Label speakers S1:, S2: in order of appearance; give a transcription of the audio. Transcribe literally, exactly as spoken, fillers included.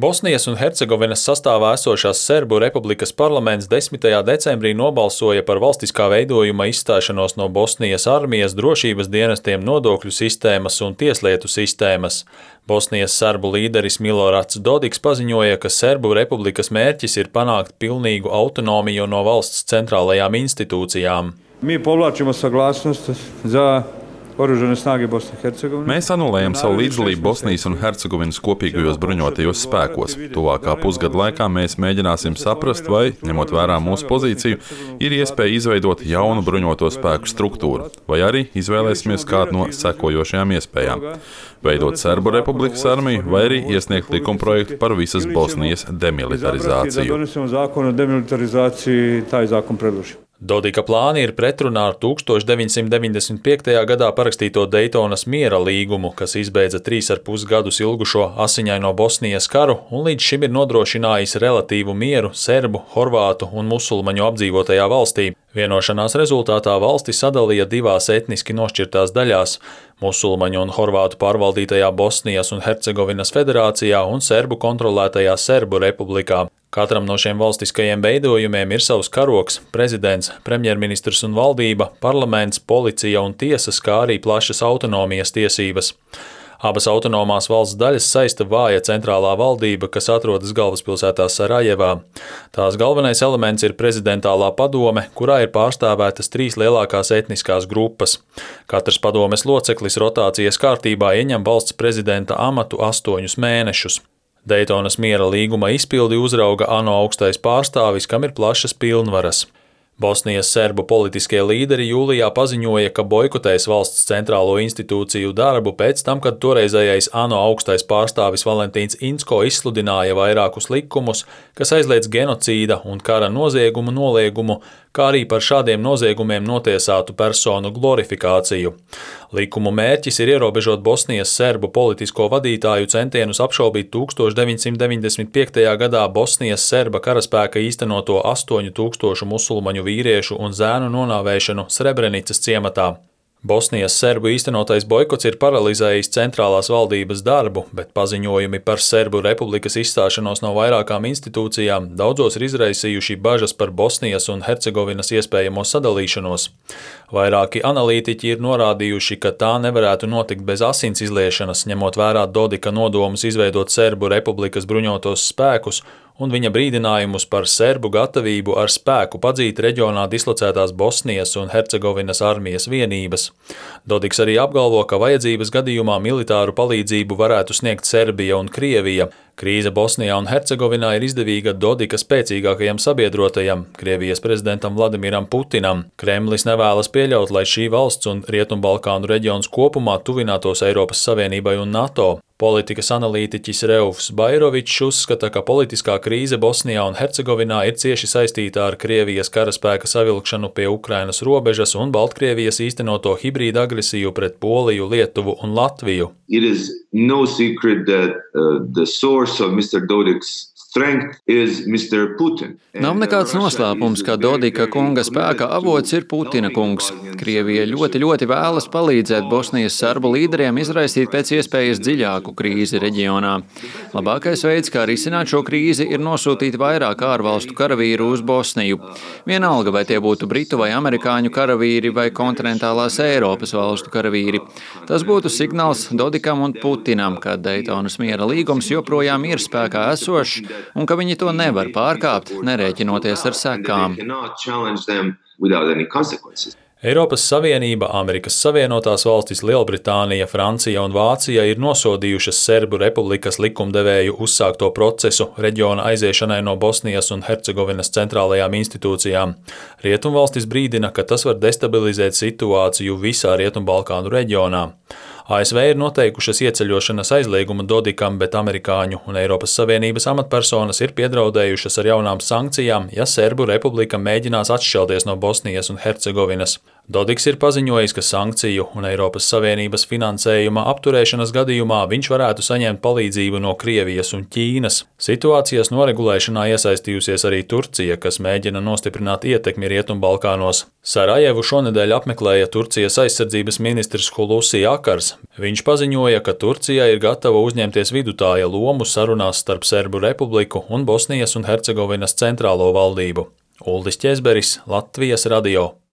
S1: Bosnijas un Hercegovinas sastāvā esošās Serbu republikas parlaments desmitajā decembrī nobalsoja par valstiskā veidojuma izstāšanos no Bosnijas armijas, drošības dienestiem, nodokļu sistēmas un tieslietu sistēmas. Bosnijas serbu līderis Milorats Dodiks paziņoja, ka Serbu republikas mērķis ir panākt pilnīgu autonomiju no valsts centrālajām institūcijām.
S2: Mi povlačimo saglasnost za Oružane snage Bosne i Hercegovine.
S3: Mēs anulējam savu līdzdalību Bosnijas un Hercegovinas kopīgajos bruņotajos spēkos. Tuvākā pusgada laikā mēs mēģināsim saprast, vai, ņemot vērā mūsu pozīciju, ir iespēja izveidot jaunu bruņoto spēku struktūru, vai arī izvēlēsimies kādu no sekojošajām iespējām – veidot Serbu republikas armiju, vai arī iesniegt likumprojektu par visas Bosnijas demilitarizāciju.
S1: Dodika plāni ir pretrunā ar tūkstoš deviņsimt deviņdesmit piektajā gadā parakstīto Dejtonas miera līgumu, kas izbeidza trīs ar pus gadus ilgušo asiņaino Bosnijas karu un līdz šim ir nodrošinājis relatīvu mieru serbu, horvātu un musulmaņu apdzīvotajā valstī. Vienošanās rezultātā valsti sadalīja divās etniski nošķirtās daļās – musulmaņu un horvātu pārvaldītajā Bosnijas un Hercegovinas federācijā un serbu kontrolētajā Serbu republikā. Katram no šiem valstiskajiem veidojumiem ir savs karoks, prezidents, premjerministrs un valdība, parlaments, policija un tiesas, kā arī plašas autonomijas tiesības. Abas autonomās valsts daļas saista vāja centrālā valdība, kas atrodas galvaspilsētā Sarajevā. Tās galvenais elements ir prezidentālā padome, kurā ir pārstāvētas trīs lielākās etniskās grupas. Katrs padomes loceklis rotācijas kārtībā ieņem valsts prezidenta amatu astoņus mēnešus. Dejtonas miera līguma izpildi uzrauga ANO augstais pārstāvis, kam ir plašas pilnvaras. Bosnijas serbu politiskie līderi jūlijā paziņoja, ka boikotēs valsts centrālo institūciju darbu pēc tam, kad toreizējais ANO augstais pārstāvis Valentīns Inzko izsludināja vairākus likumus, kas aizliedz genocīda un kara noziegumu noliegumu, kā arī par šādiem noziegumiem notiesātu personu glorifikāciju. Likumu mērķis ir ierobežot Bosnijas serbu politisko vadītāju centienus apšaubīt tūkstoš deviņsimt deviņdesmit piektajā gadā Bosnijas serba karaspēka īstenoto astoņu tūkstošu musulmaņu vīriešu un zēnu nonāvēšanu Srebrenicas ciematā. Bosnijas serbu īstenotais boikots ir paralizējis centrālās valdības darbu, bet paziņojumi par Serbu republikas izstāšanos no vairākām institūcijām daudzos ir izraisījuši bažas par Bosnijas un Hercegovinas iespējamo sadalīšanos. Vairāki analītiķi ir norādījuši, ka tā nevarētu notikt bez asins izliešanas, ņemot vērā Dodika nodomus izveidot Serbu republikas bruņotos spēkus un viņa brīdinājumus par serbu gatavību ar spēku padzīt reģionā dislocētās Bosnijas un Hercegovinas armijas vienības. Dodiks arī apgalvo, ka vajadzības gadījumā militāru palīdzību varētu sniegt Serbija un Krievija. Krīze Bosnijā un Hercegovinā ir izdevīga Dodika spēcīgākajam sabiedrotajam, Krievijas prezidentam Vladimiram Putinam. Kremlis nevēlas pieļaut, lai šī valsts un Rietumbalkānu reģions kopumā tuvinātos Eiropas Savienībai un NATO. Politikas analītiķis Reufs Bairovičs uzskata, ka politiskā krīze Bosnijā un Hercegovinā ir cieši saistīta ar Krievijas karaspēka savilkšanu pie Ukrainas robežas un Baltkrievijas īstenoto hibrīda agresiju pret Poliju, Lietuvu un Latviju.
S4: It is no secret that uh, the source of mister Dodik's strength is mister Putin.
S5: Nav nekāds noslēpums, ka Dodika kunga spēka avots ir Putina kungs. Krievija ļoti, ļoti vēlas palīdzēt Bosnijas serbu līderiem izraisīt pēc iespējas dziļāku krīzi reģionā. Labākais veids, kā risināt šo krīzi, ir nosūtīt vairāk ārvalstu karavīru uz Bosniju. Vienalga, vai tie būtu britu vai amerikāņu karavīri vai kontinentālās Eiropas valstu karavīri. Tas būtu signāls Dodikam un Putinam, ka Dejtonas miera līgums joprojām ir spēkā esošs, un ka viņi to nevar pārkāpt, nerēķinoties ar sekām.
S1: Eiropas Savienība, Amerikas Savienotās valstis, Lielbritānija, Francija un Vācija ir nosodījušas Serbu republikas likumdevēju uzsākto procesu reģiona aiziešanai no Bosnijas un Hercegovinas centrālajām institūcijām. Rietumvalstis brīdina, ka tas var destabilizēt situāciju visā Rietumbalkānu reģionā. A S V ir noteikušas ieceļošanas aizliegumu Dodikam, bet amerikāņu un Eiropas Savienības amatpersonas ir piedraudējušas ar jaunām sankcijām, ja Serbu republika mēģinās atšķelties no Bosnijas un Hercegovinas. Dodiks ir paziņojis, ka sankciju un Eiropas Savienības finansējuma apturēšanas gadījumā viņš varētu saņemt palīdzību no Krievijas un Ķīnas. Situācijas noregulēšanā iesaistījusies arī Turcija, kas mēģina nostiprināt ietekmi Rietumbalkānos. Sarajevu šonedēļ apmeklēja Turcijas aizsardzības ministrs Hulusi Akars. Viņš paziņoja, ka Turcija ir gatava uzņemties vidutāja lomu sarunās starp Serbu republiku un Bosnijas un Hercegovinas centrālo valdību. Uldis Ķezberis, Latvijas radio.